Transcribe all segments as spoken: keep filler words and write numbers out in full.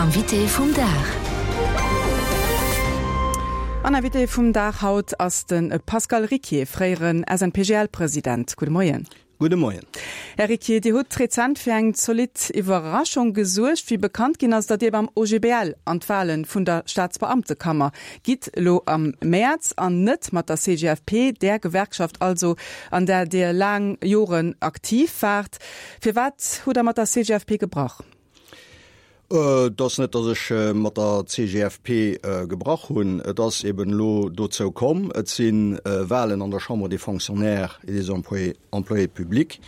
Invité vum Dag. An Invité vum Dag haut ass de Pascal Ricquier, fréieren S N P G L-President. Gudde Moien. Gudde Moien. Här Ricquier, Dir hutt rezent fir eng zolidd Iwwerraschung gesuergt, wéi bekannt ginn ass, datt Dir beim O G B L an d'Wale vun der Staatsbeamtekammer gitt, elo am Mäerz, an net mat der C G F P, där Gewerkschaft also, an där Dir laang Joren aktiv waart. Firwat hutt Der mat der C G F P gebrach? Äh, et ass net, datt ech äh, mat der C G F P äh, gebrach hunn. Et ass eben elo dozou komm. Et sinn äh, Walen an der Chambre des Fonctionnaires et des Employés, Employés publics.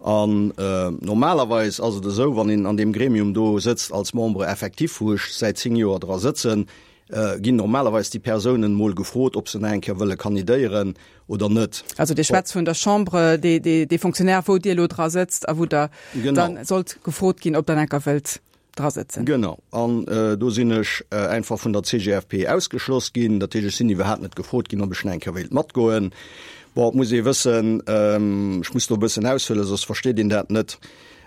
An äh, normalerweis ass et esou, wann een an deem Gremium do sëtzt als Membre effectif, wou ech säit zéng Joer dra sëtzen, äh, ginn normalerweis déi Persounen mol gefrot, ob se nach eng Kéier wëlle kandidéieren oder net. Also Dir schwätzt vun der Chambre des, des, des Fonctionnaires, wou Dir elo dra sëtzt a wou Der Genau. dann sollt gefrot ginn, ob Der nach eng Kéier wëllt dra sëtzen. Genau. An äh, do sinn ech äh, einfach vun der C G F P ausgeschloss ginn. Dat heescht, ech sinn iwwerhaapt net gefrot ginn, ob ech nach eng Kéier wéilt matgoen. Bon, muss ee wëssen, ähm, ech muss do e bëssen aushuelen, soss versteet een dat net.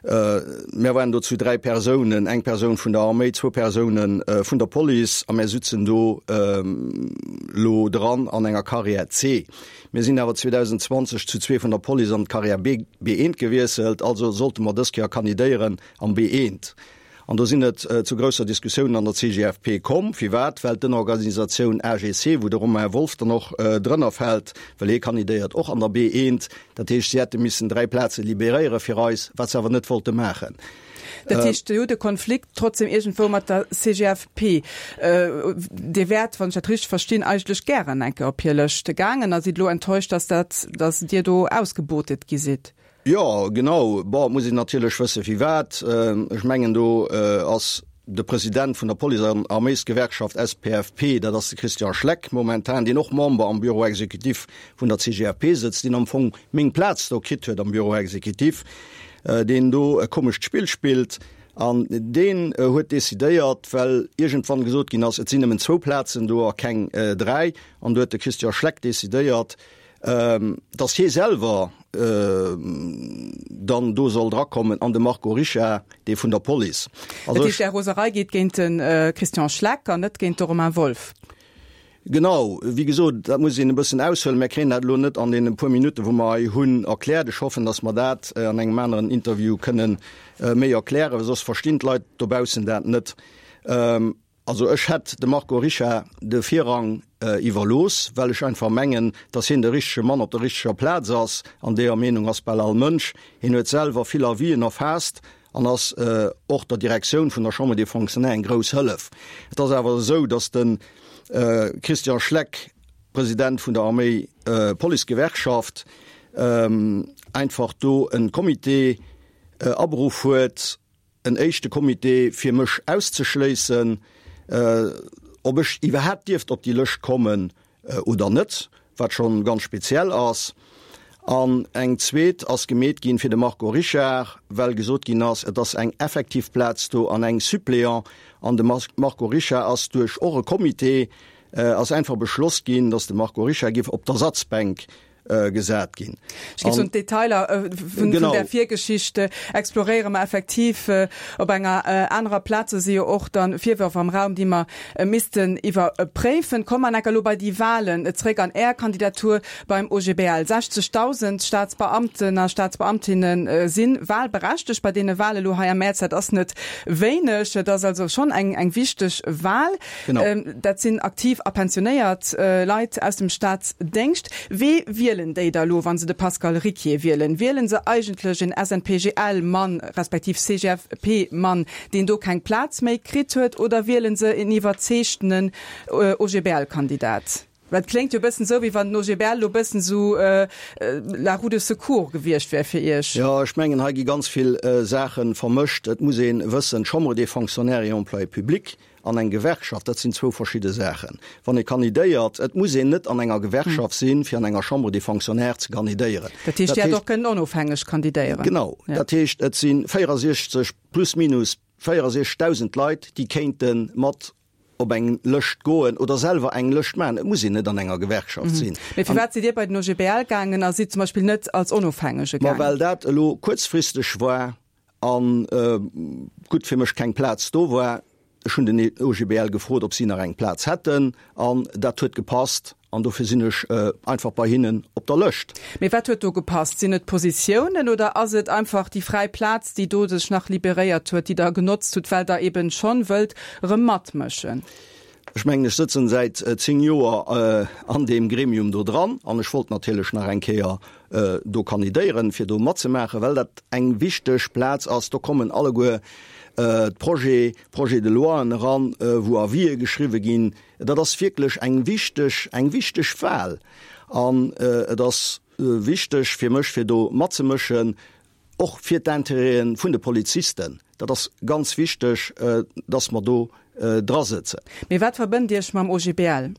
Äh, mir waren do zu dräi Persounen, eng Persoun vun der Arméi, zwou Persounen äh, vun der Police a mir sëtzen do ähm, lo dran an enger Carrière C. Mir sinn awer zweedausendzwanzeg zu zwee vun der Police an d'Carrière B, B eent gewiesselt, also sollte mer dës Kéier kandidéieren am B eent. An do sinn et äh, zu grousser Diskussiounen an der C G F P komm, firwat? Well d'Ënnerorganisatioun A G C, wou de Romain Wolff dann och äh, drënner fält, well hie kandidéiert och an der B eent, dat heescht, si hätte missen dräi Plaze liberéiere fir eis, wat se awer net wollte maachen. Dat heescht, Dir hutt de Konflikt trotzdem iergendwou mat der C G F P. Äh, Dir wäert, wann ech dat richteg verstinn, eigentlech gären eng Kéier op hir Lëscht gaangen a sidd elo enttäuscht, dass dat, dass Dir do ausgebootet gi sidd. Jo, genau. Bon, muss een natierlech wësse firwat. Äh, ech mengen do äh, ass de President vun der Police- an Arméisgewerkschaft S P F P, dat ass de Christian Schleck momentan, deen och Member am Bureau exécutif vun der C G F P sëtzt, deen am Fong meng Plaz do kritt huet am Bureau exécutif, äh, deen do e komescht Spill spillt. An deen äh, huet decidéiert, well iergendwann gesot ginn ass, et sinn nëmmen zwou Plazen do a keng äh, dräi, an do huet de Christian Schleck decidéiert, ähm, dass hie selwer äh, dann do soll drakommen an de Marco Richard, dee vun der Police. Also dat heescht, Är Roserei geet géint den äh, Christian Schleck an net géint de Romain Wolff. Genau, wéi gesot, dat muss een e bëssen aushuelen. Mir kréien dat elo net an deene puer Minutten, wou mer hei hunn, erkläert. Ech hoffen, dass mer dat äh, an engem aneren Interview kënnen äh, méi erklären, soss verstinn d'Leit dobaussen dat net. Ähm, also ech hätt de Marco Richard de Virrang äh, iwwerlooss, well ech einfach mengen, dass hien de richtege Mann op der richteger Plaz ass, an deeër Meenung ass bal all Mënsch. Hien huet selwer vill Avisen erfaasst an ass äh, och der Direktioun vun der Chambre des Fonctionnaires eng grouss Hëllef. Et ass awer esou, dass den äh, Christian Schleck, President vun der Arméi äh, Policegewerkschaft, ähm, einfach do e Comité äh, aberuff huet, en éischte Comité fir mech auszeschléissen, äh, ob ech iwwerhaapt dierft op déi Lëscht kommen äh, oder net, wat schonn ganz speziell ass. An eng zweet ass gemeet ginn fir de Marco Richard, well gesot ginn ass, et ass eng effektiv Plaz do an eng Suppléant, an de Marco Richard ass duerch och e Comité äh, ass einfach beschloss ginn, dass de Marco Richard géif op d'Ersatzbänk äh, gesat ginn. Ech géif soen, d'Detailer äh, vun, vun der Virgeschicht äh, exploréiere mer effektiv äh, op enger äh, anerer Plaz. Si jo och dann Virwërf am Raum, déi mer äh, missten iwwerpréifen. Komme mer elo bei déi Walen äh, zréck an Är Kandidatur beim O G B L. sechzegdausend Staatsbeamten a Staatsbeamtinnen äh, sinn wahlberechtegt bei deene Wale lo hei am Mäerz. Dat ass net wéineg, dat ass also schonn eng eng wichteg Wal. Genau. Ähm, dat sinn aktiv a pensionéiert äh, Leit aus dem Staatsdéngscht. Wee wielen déi da lo, wann se de Pascal Ricquier wielen? Wielen se eigentlech en S N P G L-Mann respektiv C G F P-Mann, deen do keng Plaz méi kritt huet, oder wielen se en iwwerzeegtenen äh, O G B L-Kandidat? Well et kléngt jo bëssen sou, wéi wann den O G B L lo bëssen sou äh, äh, la roue de secours gewiescht wär fir Iech. Jo, ech mengen, hei gi ganz vill äh, Saache vermëscht. Et muss ee wëssen, Chambre des Fonctionnaires et Employés publics an eng Gewerkschaft, dat sinn zwou verschidde Saachen. Wann ee kandidéiert, et muss een net an enger Gewerkschaft sinn, fir an enger Chambre des Fonctionnaires ze kandidéieren. Dat heescht, Dat Dir hätt och kënnen onofhängeg kandidéieren. Genau, Ja. dat heescht, et si véierundsechzeg plus minus véierundsechzegdausend Leit, déi kéinte mat op eng Lëscht goen oder selwer eng Lëscht maachen. Et muss een net an enger Gewerkschaft sinn. Mee firwat sidd Dir bei den O G B L gaangen a sidd zum Beispill net als Onofhängege Ma gaangen? well dat elo kuerzfristeg war an äh, gutt fir mech keng Plaz do war, Ech hunn den OGBL gefrot, ob si nach eng Plaz hätten, an dat huet gepasst an dofir sinn ech einfach bei hinnen op der Lëscht. Mee wat huet do gepasst? Sinn et d'Positiounen oder ass et einfach déi fräi Plaz, déi do sech nach liberéiert huet, déi Der genotzt hutt, well Der eben schonn wëllt erëm matmëschen? Ech mengen, ech sëtzen säit zéng Joer an deem Gremium do dran an ech wollt natierlech nach eng Kéier do kandidéieren, fir do matzemaachen, well dat eng wichteg Plaz ass. Do kommen alleguer d'Projets, Projets de loien eran, wou Avisë geschriwwe ginn. Dat ass wierklech eng wichteg, eng wichteg Wahl an et ass wichteg fir mech, fir do matzemëschen. Och fir d'Intérêtë vun de Polizisten, dat ass ganz wichteg, dass mer do drasëtzen. Mee wat verbënnt Iech mam OGBL?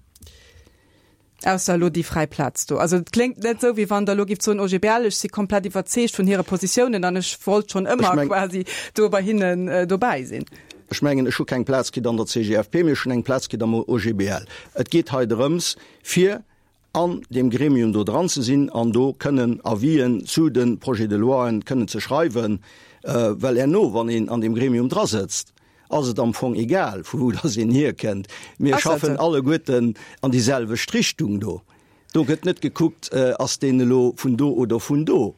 Ausser elo déi fräi Plaz do. Also et kléngt net esou, wéi wann Der elo gifft soen, OGBL, ech si komplett iwwerzeegt vun hire Positiounen an ech wollt schonn ëmmer quasi do bei hinnen dobäi sinn. Ech mengen, ech hu keng Plaz kritt an der CGFP, mee ech hunn eng Plaz kritt am OGBL. Et geet hei drëms, fir an deem Gremium do dran ze sinn an do kënnen Avisen zu de Projets de loien kënnen ze schreiwen, well herno, wann een an deem Gremium drasëtzt, ass et am Fong egal, vu wou dass een hierkënnt. Mir schaffen alleguerten an déi selwecht Richtung do. Do gëtt net gekuckt, ass deen elo vun do oder vun do.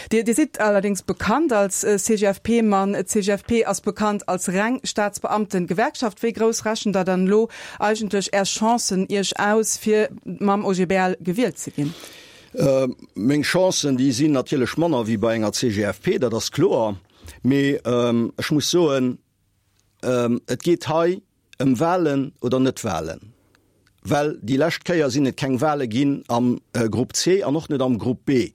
Dir sidd allerdéngs bekannt als C G F P-Mann. D'C G F P ass bekannt als reng Staatsbeamten-Gewerkschaft. Wéi grouss rechent Der dann elo eigentlech Är Chancen Iech aus, fir mam O G B L gewielt ze ginn? Meng Chancen, déi sinn natierlech manner wéi bei enger C G F P, dat ass kloer. Mee ech muss soen, et geet hei ëm Walen oder net Walen. Well déi lescht Kéier sinn et keng Wale ginn am Grupp C an och net am Grupp B.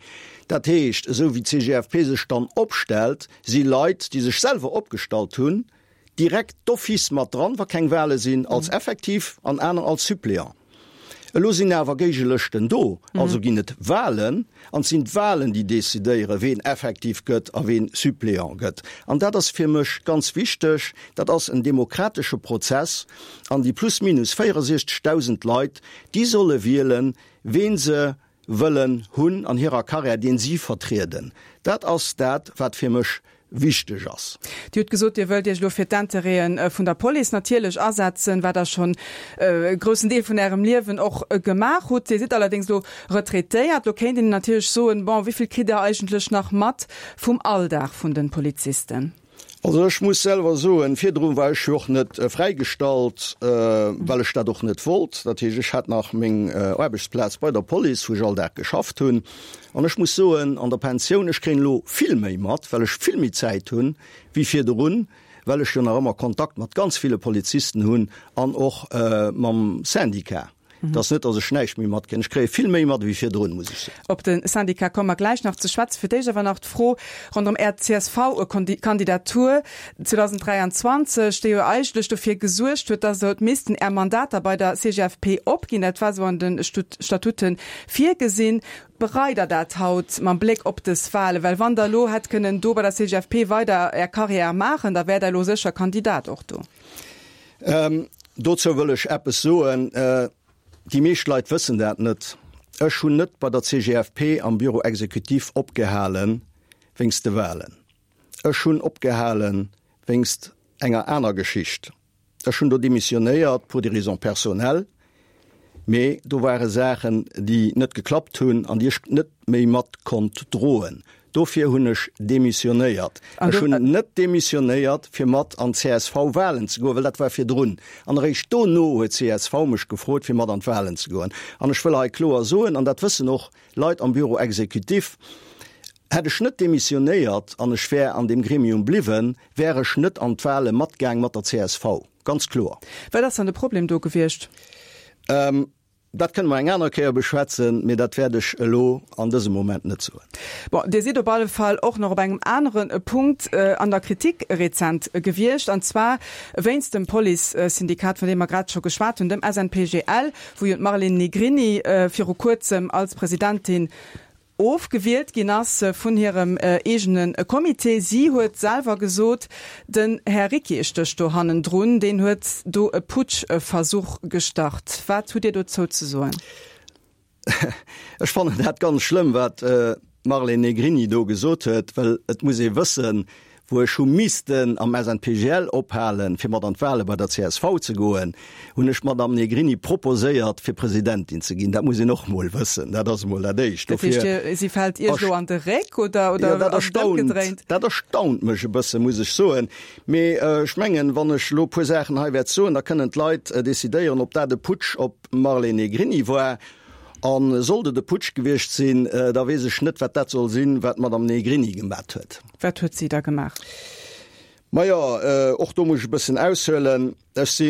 Dat heescht, esou wéi d'C G F P sech dann opstellt, si Leit, déi sech selwer opgestallt hunn, direkt d'office mat dran, wa keng Wale sinn, als Effektiv an aner als Suppléant. Elo sinn awer Géigelëschten do, also ginn et Walen, an et sinn d'Walen, déi decidéieren, ween effektiv gëtt a ween Suppléant gëtt. An dat ass fir mech ganz wichteg. Dat ass en demokratesche Prozess, an déi plus minus véierundsechzegdausend Leit, déi solle wielen, ween se wëllen hunn an hirer Karriär, deen si vertrieden. Dat ass dat, wat fir mech wichteg ass. Dir hutt gesot, Dir wëllt Iech elo fir d'Intérêten vun der Police natierlech asetzen, wat Der schonn e groussen Deel vun Ärem Liewen och gemaach hutt. Dir sidd allerdéngs elo retraitéiert. Elo kéint een natierlech soen, bon, wéi vill kritt Der eigentlech nach mat vum Alldag vun de Polizisten? Also ech muss selwer soen, virdru war ech jo och net fräigestallt, well ech dat och net wollt. Dat heescht, ech hat nach meng Aarbechtsplaz bei der Police, wou ech all Dag geschafft hunn. An ech muss soen, an der Pensioun, ech kréien elo vill méi mat, well ech vill méi Zäit hunn wéi virdrun, well ech jo nach ëmmer Kontakt mat ganz ville Polizisten hunn an och mam Syndicat. Et ass net, datt ech näischt méi matkréien. Ech kréie vill méi mat ewéi virdrun, muss ech soen. Op de Syndicat komme mer gläich nach ze schwätzen. Fir d'éischt awer nach d'Fro ronderëm Är C S V-Kandidatur zweedausenddräianzwanzeg, déi jo eigentlech dofir gesuergt huet, datt Der hutt missten Är Mandater bei der C G F P opginn. Dat war esou an de Statute virgesinn. Bereit Der dat haut mam Bléck op dës Wahlen? Well wann Der elo hätt kënnen do bei der C G F P weider Är Carrière maachen, da wäert Der elo sécher Kandidat och do. Dozou wëll ech eppes soen. Déi meescht Leit wëssen dat net. Ech hunn net bei der C G F P am Bureau exécutif opgehale wéinst de Wahlen. Ech hunn opgehale wéinst enger aner Geschicht. Ech hunn do demissionéiert pour des raisons personnelles, mee do ware Saachen, déi net geklappt hunn an déi ech net méi mat konnt droen. Dofir hunn ech demissionéiert. Ech hunn net demissionéiert, fir mat an d'C S V-Wahlen ze goen, well dat war virdrun. An eréischt dono huet C S V mech gefrot, fir mat an d'Wahlen ze goen. An ech wëll hei kloer soen, an dat wëssen och Leit am Bureau exécutif, Hätt ech net demissionéiert an ech wär an deem Gremium bliwwen, wär ech net an d'Wahle matgaang mat der C S V. Ganz kloer. Wat ass dann de Problem do gewiescht? Dat kënne mer eng aner Kéier beschwätzen, mee dat wäert ech elo an dësem Moment net soen. Bon, Dir sidd op alle Fall och nach op engem anere Punkt an der Kritik rezent gewiescht, an zwar wéinst dem Police-Syndikat, vun deem mer grad scho geschwat hunn, dem S N P G L, wou jo d'Marlene Negrini viru Kuerzem als Presidentin ofgewielt ginn ass vun hirem eegene Comité. Si huet selwer gesot, den Här Ricquier stécht do hannendrun, deen huet do e Putschversuch gestart. Wat hutt Dir dozou ze soen? Ech fannen dat ganz schlëmm, wat d'Marlene Negrini do gesot huet, well et muss ee wëssen, wou ech hu missten am S N P G L ophalen, fir mat an d'Wahle bei der C S V ze goen, hunn ech d'Madame Negrini proposéiert, fir Presidentin ze ginn. Dat muss een och mol wëssen. Dat ass emol dat Éischt. Dat heescht, Dofir si fält Iech elo an de Réck oder, oder Ja, dat ass et erstaunt, ëmgedréint? Dat erstaunt mech e bësse, muss ech soen. Mee ech mengen, wann ech elo e puer Saachen hei wäert soen, da kënnen d'Leit decidéieren, ob dat e Putsch op d'Marlene Negrini war. A sollt et e Putsch gewiescht sinn, da weess ech net, wat dat soll sinn, wat d'Madame Negrini gemat huet. Wat huet si da gemaach? Majo, och do muss ech e bëssen aushuelen. Ech si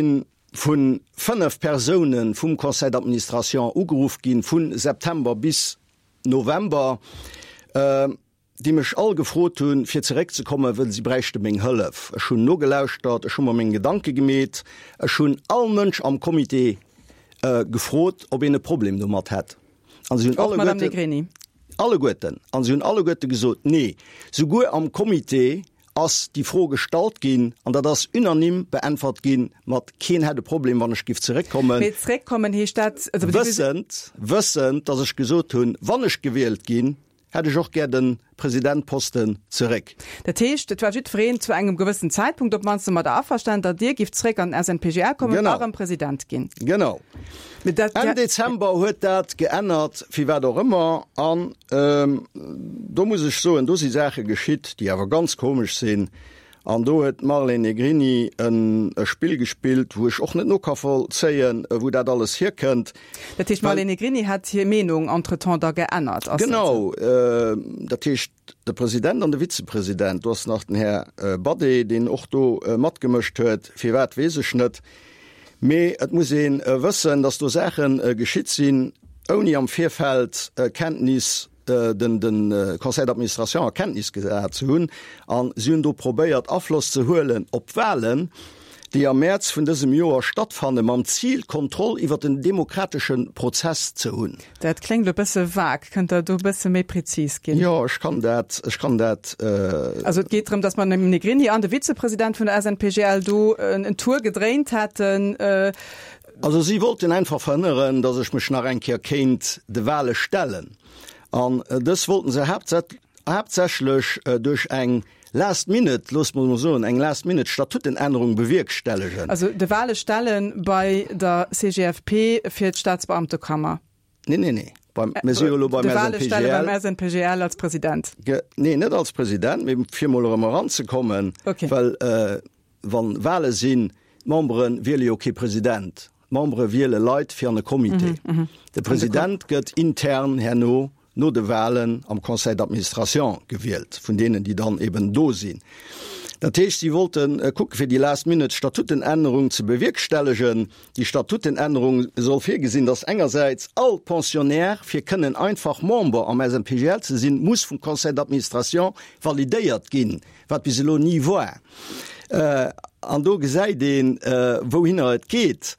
vu fënnef Persoune vum Conseil d'administration ugeruff ginn, vu September bis November, déi mech all gefrot hunn, fir zeréckzekommen, wëll si bräichte meng Hëllef. Ech hunn nogelauschtert, ech hu mer meng Gedanke gemeet. Ech hunn all Mënsch am Comité gefrot, ob een e Problem domat hätt. An si hunn Och d'Madame alleguerten, Negrini? alleguerten, an si hunn alleguerte gesot, nee. Souguer am Comité ass déi Fro gestallt ginn an dat ass unanime beäntwert ginn mat keen hätt e Problem, wann ech giff zeréckkommen. Mee zeréckkommen heescht dat, also Wëssend, wëssend, datt ech gesot hunn, wann ech gewielt ginn, hätt ech och gär de Presidentposten zeréck. Dat heescht, et war jiddwereen zu engem gewëssen Zäitpunkt op d'mannst domadder averstanen, datt Dir gift zeréck an den S N P G L kommen Genau. a rëm President ginn. Genau. Mee dat, Enn Dezember huet dat geännert, firwat och ëmmer. An do muss ech soen, do si Saache geschitt, déi awer ganz komesch sinn. An do huet d'Marlène Negrini e Spill gespillt, wou ech och net no ka vollzéien, wou dat alles hierkënnt. Dat heescht, d'Marlène Negrini hätt hir Meenung entretemps da geännert, ass dat esou? Genau. Dat heescht, de President an de Vizepresident, do ass nach den Här Badé, deen och do matgemëscht huet, firwat weess ech net. Mee et muss ee wëssen, datt do Saache geschitt sinn, ouni am Virfeld Kenntnis den de Conseil d'administration a Kenntnis gesat ze hunn, a si hunn do probéiert Afloss ze huelen op d'Wahlen, déi am Mäerz vun dësem Joer stattfanne mam Zil, Kontroll iwwer den demokratesche Prozess ze hunn. Dat kléngt e bësse vague. Kënnt Der do e bësse méi prezis ginn? Jo, ech kann dat, ech kann dat. Also et geet drëm, datt d'Madame Negrini an de Vizepresident vun der S N P G L do en Tour gedréint hätten. Also si wollten einfach verhënneren, datt ech mech nach eng Kéier kéint de Wahle stellen. An dës wollten se haaptsächlech duerch eng last minute, loosse mer emol soen, eng last minute Statutenännerung bewierkstellegen. Also de Wahle stellen bei der C G F P fir d'Staatsbeamtekammer? Nee, nee, nee. Beim, mir si jo elo beim De Wahle stelle S N P G L. Beim S N P G L als President? Nee, net als President, mee fir emol erëm eranzekommen. Okay. Well wann Wahle sinn, d'Membere wiele jo kee President. D'Membere wiele Leit fir an e Comité. De President gëtt intern herno no de Wahlen am Conseil d'administration gewielt, vun deenen, déi dann eben do sinn. Dat heescht, si wollte kucke fir déi last minute Statutenännerung ze bewierkstellegen. Déi Statutenännerung soll virgesinn, datt engersäits all Pensionnaire, fir kënnen einfach Member am S N P G L ze sinn, muss vum Conseil d'administration validéiert ginn, wat bis elo ni war. An do gesäit een, wouhinner et geet.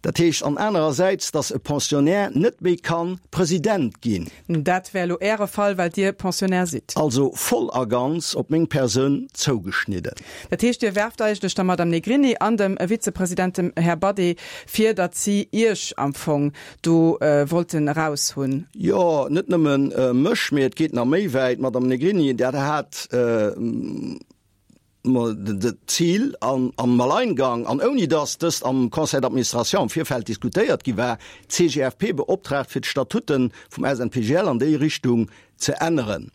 Dat heescht an anerersäits, datt e Pensionnaire net méi ka President ginn. Dat wär elo Äre Fall, well Dir Pensionnaire sidd. Also voll a ganz op meng Persoun zougeschnidden. Dat heescht, Dir werft eigentlech der Madame Negrini an dem Vizepresident, dem Här Badé, vir, datt si Iech am Fong do wollten eraushunn? Jo, net nëmme mech, mee et geet nach méi wäit. D'Madame Negrini, dat hat d'Zil an am Alleingang an ouni datt dëst am Conseil d'administration am Virfeld diskutéiert gi war, d'C G F P beoptraagt fir d'Statute vum S N P G L an déi Richtung ze änneren.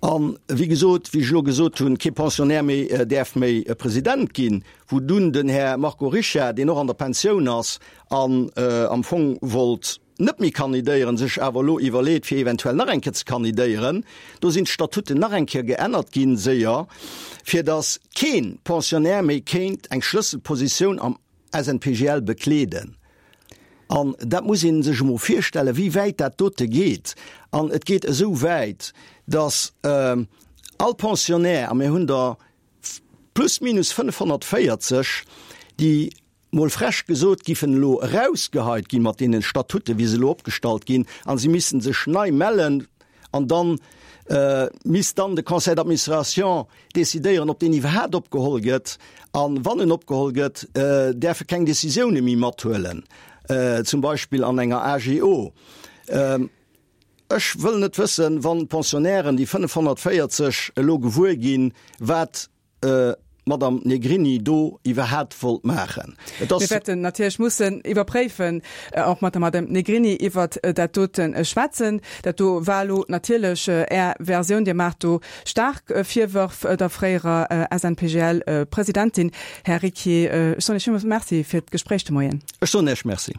An wéi gesot, wéi ech elo gesot hunn, kee Pensionnaire méi däerf méi President ginn, wou dunn den Här Marco Richard, deen och an der Pensioun ass an am Fong wollt net méi kandidéieren, sech awer elo iwwerleet, fir eventuell nach eng Kéier ze kandidéieren, do sinn d'Statuten nach eng Kéier geännert ginn, séier, fir datt kee Pensionnaire méi kéint eng Schlësselpositioun am S N P G L bekleeden. An dat muss ee sech emol virstellen, wéi wäit dat dote geet. An et geet esou wäit, datt all Pensionnaire, a mir hunn der plus minus fënnefhonnertvéierzeg, déi mol frech gesot giffen elo erausgeheit gi mat deenen Statuten, wéi se elo opgestallt ginn, a si missten sech nei mellen an dann misst dann de Conseil d'administration decidéieren, ob deen iwwerhaapt opgeholl gëtt, a wann en opgeholl gëtt, däerf e keng Décisioune méi mathuelen, zum Beispill an enger A G O. Ech wëll net wëssen, wann d'Pensionnairen, déi fënnefhonnertvéierzeg, elo gewuer ginn, wat d'Madame Negrini do iwwerhaapt wollt maachen. Et ass. Mir wäerten natierlech mussen iwwerpréifen, och mat der Madame Negrini iwwert dat dote schwätzen. Dat do war elo natierlech Är Versioun. Dir maacht do staark Virwërf der fréierer S N P G L-Presidentin. Här Riquier, ech soen Iech villmools Merci fir d'Gespréich de Moien. Ech soen Iech Merci.